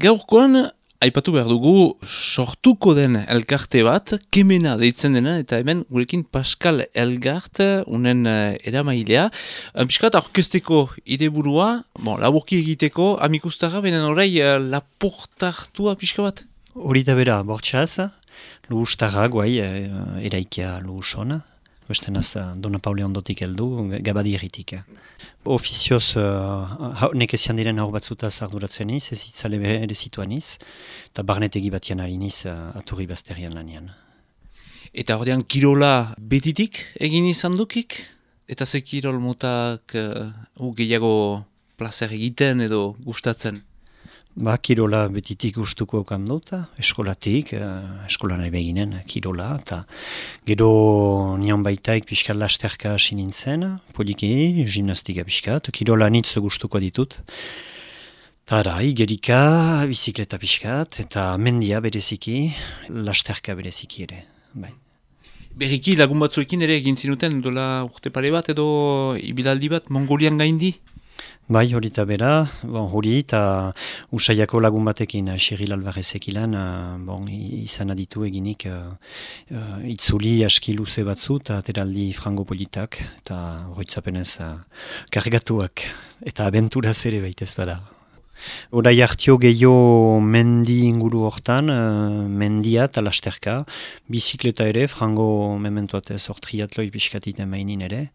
Gaurkoan, aipatu behar dugu sortuko den elkarte bat, Kemena deitzen dena, eta hemen gurekin Pascal Elgart, unen eramailea. Piskat aurkezteko ideburua, laburki egiteko, amikustara, benen orai laportartua pixka bat? Hori da bera, bortxaz, luhustarra guai, eraikia luhusona. Bestenaz, Dona Paule ondotik heldu, Gabadi erritik. Ofizioz, nekezian diren hor batzutaz arduratzen iz, ez itzale ere zituan iz, eta barnetegi batian hariniz aturri bazterian lanian. Eta horrean kirola betitik egin izan dukik? Eta ze kirol motak gehiago plazer egiten edo gustatzen? Kirola betitik gustuko okan dut, eskolatik, eskola nahi beginen kirola, eta gero nion baitaik pixkat lasterka hasi nintzen, poliki, gimnastika pixkat, kirola nitz gustuko ditut. Tara, igerika, bizikleta pixkat, eta mendia bereziki, lasterka bereziki ere. Bai. Berriki lagun batzuekin ere egin zinuten, dola urte pare bat edo ibilaldi bat Mongolian gaindi? Bai, hori eta bera, hori eta Usaiako lagun batekin, Xiril Alvarezek ilan, izan aditu eginik itzuli aski luze batzu eta ateraldi frango politak, eta horitzapenez kargatuak, eta abenturaz ere baitez bada. Horai hartio gehiago mendi inguru hortan, mendia eta lasterka, bizikleta ere, frango mementuatez hor triatloi pixkatiten mainin ere,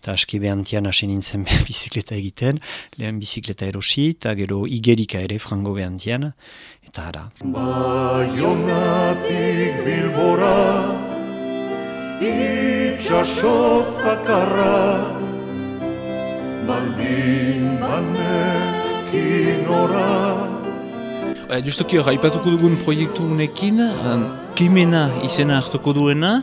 eta aski behantian hasi nintzen bizikleta egiten, lehen bizikleta erosi, eta gero igerika ere frango behantian, eta ara. Baionatik Bilbora, itxaso zakarra, baldin banekin ora. Justoki hor, aipatuko dugun proiektu unekin, Kemena izena hartuko duena.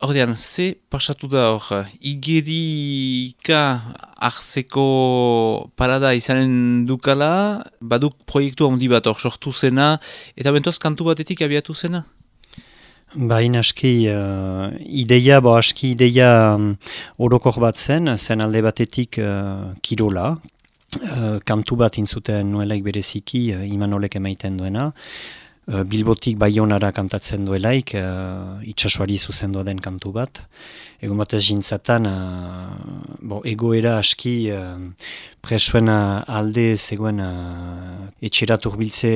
Ordean, ze pasatu da hor, igerika hartzeko parada izanen dukala, baduk proiektu handi bat hor sortu zena, eta bentoz kantu batetik abiatu zena? Baina aski ideia orokor bat zen alde batetik kirola, kantu bat intzuten nuelaik bereziki, Imanolek emaiten duena, Bilbotik Baionara kantatzen duelaik, itsasoari zuzendua den kantu bat. Egon batez jintzatan, egoera aski presuen alde zegoen etxerat urbiltze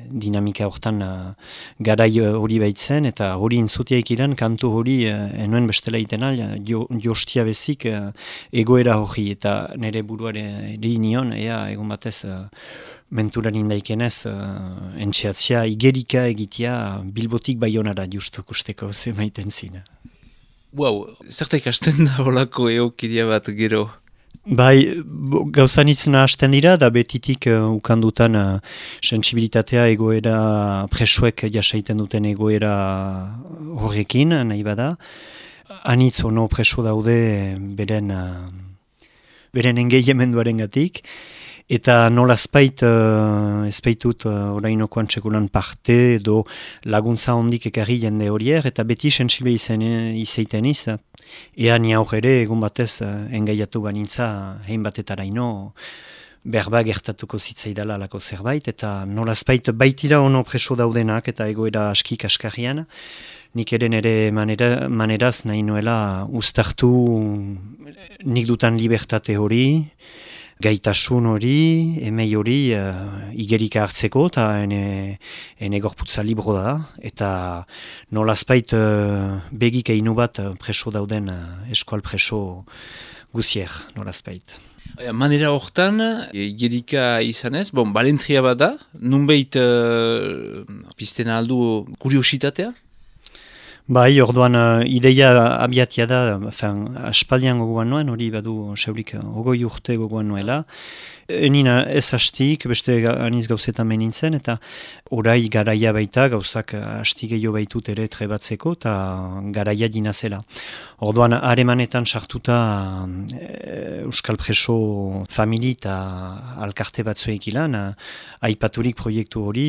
dinamika hortan garai hori baitzen, eta hori intzutiaik iran kantu hori enuen bestela itena, jostia bezik egoera hori, eta nire buruare nion, egon batez menturan indaikenez, entxeatzia igerika egitea Bilbotik Baionara justuk usteko zemaiten zina. Wow, zerta ikasten da holako eokidia bat gero? Bai, gauzanitzen hasten dira, da betitik ukandutan sentsibilitatea egoera presuek jasaiten duten egoera horrekin, nahi bada. Anitz ono preso daude beren engeiamenduaren gatik. Eta nola ezpaitut orainokoan txekulan parte edo laguntza hondik ekarri jende horier, eta beti sensible izaiten iz, ea ni aur ere egun batez engaiatu banintza hein batetaraino berba gertatuko zitzaidala alako zerbait, eta nola ezpait baitira ono preso daudenak eta egoera aski kaskarrian, nik ere maneraz nahi nuela uztartu nik dutan libertate hori, gaitasun hori, emei hori igerika hartzeko, eta ene gorputza libro da, eta nolazpait begik einu bat preso dauden eskual preso guzier, nolazpait. Manera hortan, igerika izanez, balentria bat da, nunbait piztena aldu kuriositatea? Bai, orduan ideia abiatia da, aspaldian gogoan noen, hori badu seurik 20 urte gogoan noela. Nina ez hastik, beste aniz gauzetan menintzen, eta orai garaia baita, gauzak hasti gehiago baitut ere trebatzeko, eta garaia dinazela. Orduan, haremanetan sartuta Euskal Preso famili eta alkarte batzuek ilan, aipaturik proiektu hori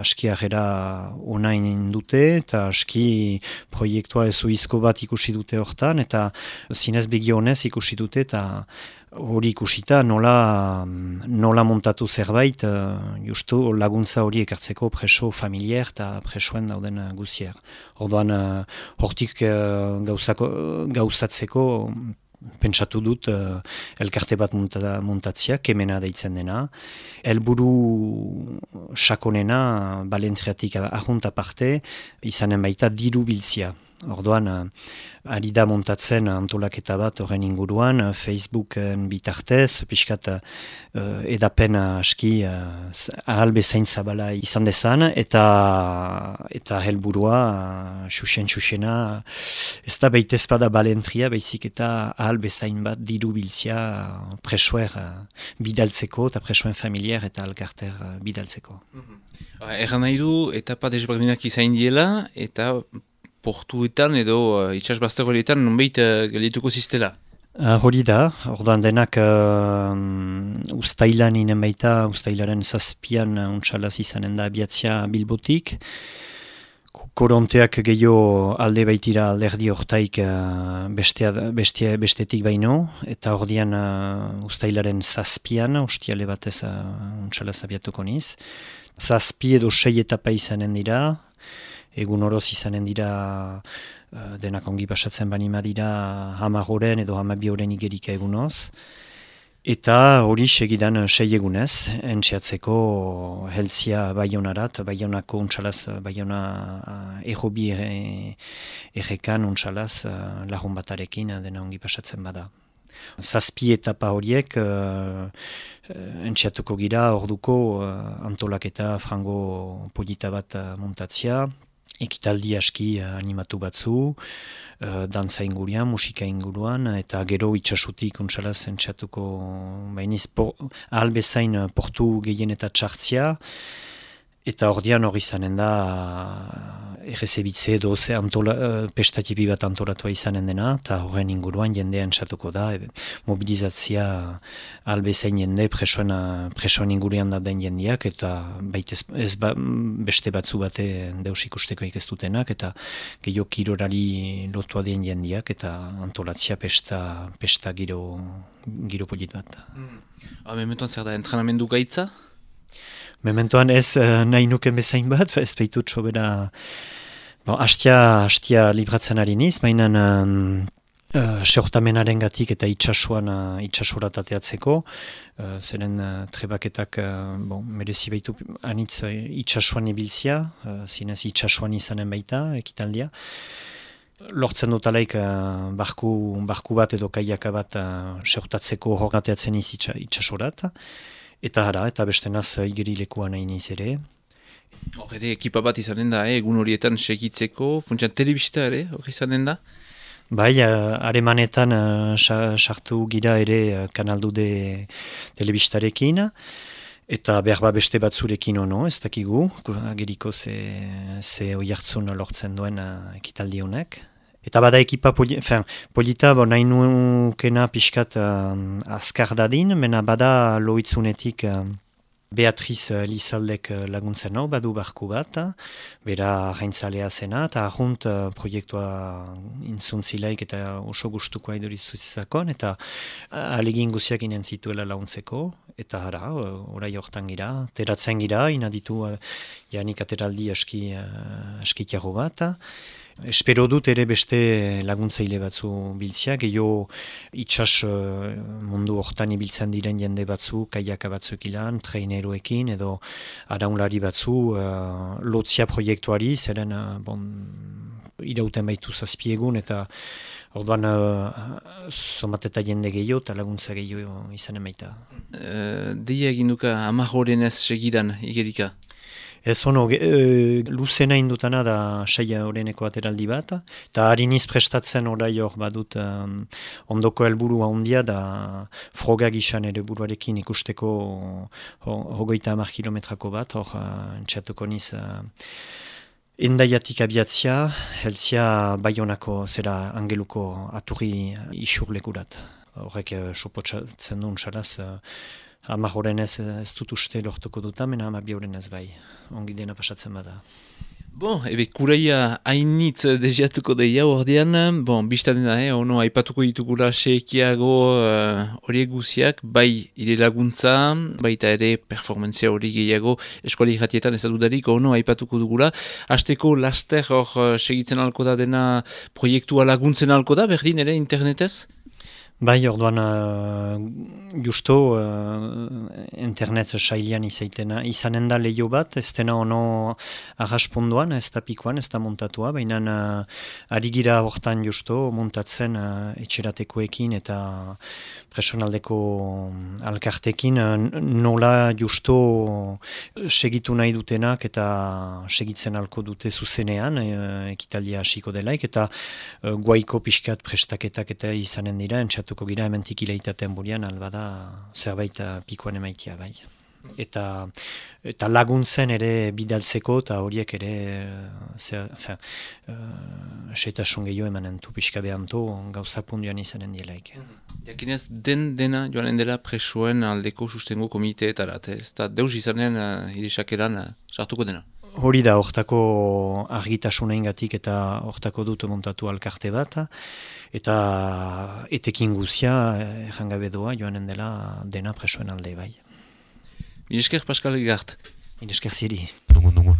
aski agera onain dute, eta aski proiektua ezuizko bat ikusi dute hortan, eta zinez begionez ikusi dute, eta hori ikusita nola montatu zerbait, justu laguntza hori ekartzeko preso familiar eta presoen dauden guzier. Orduan, hortik gauzatzeko pentsatu dut elkarte bat montatzea, Kemena deitzen dena. Helburu sakonena, balentriatik ahunt aparte, izanen baita diru biltzia. Orduan, ari da montatzen antolaketa bat horren inguruan, Facebooken bitartez, pixkat edapen aski ahal bezain zabala izan dezan, eta helburua, xuxena, ez da baita ezpada balentria, baizik eta ahal bezain bat diru biltzia presoer bidaltzeko, eta presoen familiar eta alkarter bidaltzeko. Erran nahi du, etapa desberdinak izain diela, eta portuetan edo itxasbaztegoetan nonbait galituko ziztela? Hori da, orduan denak ustailan inen baita, ustailaren 7an untsalaz izanen da abiatzia Bilbotik. Koronteak gehiago alde baitira alderdi hortaik bestetik baino, eta ordian ustailaren 7an, ostiale batez untsalaz abiatuko niz. 7 edo 6 etapa izanen dira, egun oroz izanen dira denak ongi pasatzen banima dira 10 edo 12 igerika egunoz. Eta hori segidan 6 egunez, entxeatzeko helzia Baionarat, Baionako untsalaz, Baiona errobi errekan untsalaz lagun batarekin dena ongi pasatzen bada. 7 etapa horiek entxeatuko gira orduko antolaketa frango polita bat montatzia, ekitaldi aski animatu batzu, dantza inguruan, musika inguruan, eta gero itxasutik untsalaz entxatuko bainiz ahal bezain portu gehien eta txartzia, eta ordian hori izanen da errezebitze edo pestatipi bat antolatua izanen dena, eta horren inguruan jendea entxatuko da, mobilizatzia ahal bezain jende presoen inguruan da den jendeak, eta beste batzu bate deus ikusteko ikestutenak, eta gehiago kirorari lotua den jendeak, eta antolatzia pesta giro polit bat. Mementoan zer da, entrenamendu gaitza? Mementoan ez nahi nuken bezain bat, ez behitut sobera hastia libratzen ari niz, mainan seurtamenaren gatik eta itxasurat ateatzeko, zeren trebaketak merezi behitu anitz itxasuan ibiltzia, zinez itxasuan izanen baita, ekitaldia. Lortzen dut alaik barku bat edo kaiaka bat seurtatzeko horregateatzen iz itxasurat. Eta bestenaz igerilekuan nahi niz ere. Hor ere, ekipa bat izanen da, egun horietan segitzeko, funtsan telebista ere, hor izanen da? Bai, haremanetan sartu gira ere kanaldude telebistarekin, eta behar beste batzurekin ono, ez dakigu, ageriko ze oihartzun lortzen duen ekitaldi honek. Eta bada ekipa polita, nahi nukena pixkat azkar dadin, mena bada loitzunetik Beatriz Lizaldek laguntzen hau, badu barku bat, bera gaintzalea zena, eta ahunt proiektua intzuntzilaik eta oso gustuko aidorizuzizakon, eta alegin guziak inen zituela launtzeko, eta orai hortan gira, teratzen gira, inaditu janik ateraldi askitiago bat, espero dut ere beste laguntzaile batzu biltzia, gehiago itxas mundu hortan ibiltzen diren jende batzu, kaiaka batzuk ilan, traineroekin edo araunlari batzu lotzia proiektuari, zeren irauten baitu zazpiegun eta orduan somat eta jende gehiago eta laguntza gehiago izanen baita. Deia egin duka 10 horenez segidan igerika? Ez ono, luzena indutana da 6 horeneko ateraldi bat, eta hariniz prestatzen orai hor badut ondoko helburua handia da froga gizan ere buruarekin ikusteko 30 kilometrako bat, hor entxatuko niz endaiatik abiatzia, helzia Baionako zera Angeluko aturri isurlekurat. Horrek supotsatzen duen xalaz, 10 horenez ez dut uste lortuko duta, mena 12 horenez bai. Ongi dena pasatzen bada. Bon, ebe kuraia hainitz deziatuko deia ordean, bon, biztan dena, ono aipatuko ditugula sekiago horiek guziak, bai ire laguntza, baita ere performantzia hori gehiago eskuali jatietan ez dudarik, ono aipatuko dugula. Hasteko laster hor segitzen alko da dena proiektua laguntzen alko da, berdin ere internetez? Bai, orduan justo internet sailian izanen da lehio bat, ez dena ono arrasponduan, ez da pikoan, ez da montatua, baina ari gira hortan justo montatzen etxeratekoekin eta personaldeko alkartekin nola justo segitu nahi dutenak eta segitzen alko dute zuzenean, ekitaldia hasiko delaik, eta guaiko pixkat prestaketak eta izanen dira, entzatuko gira hementik ileitaten burian, albada zerbait pikoan emaitia bai. Eta laguntzen ere bidaltzeko eta horiek ere seitasun gehiago emanen du pixka behanto gauzak punduan izanen dielaik. Jakinez, dena joanen dela presoen aldeko sustengo komiteetarat, ez da deus izanen irisakeran sartuko dena. Hori da, hortako argitasunaingatik eta hortako dut montatu alkarte bat, eta etekin guzia errangabe doa joanen dela dena presoen alde bai. Milesker Pascal Egart. Milesker ziri. Nongo.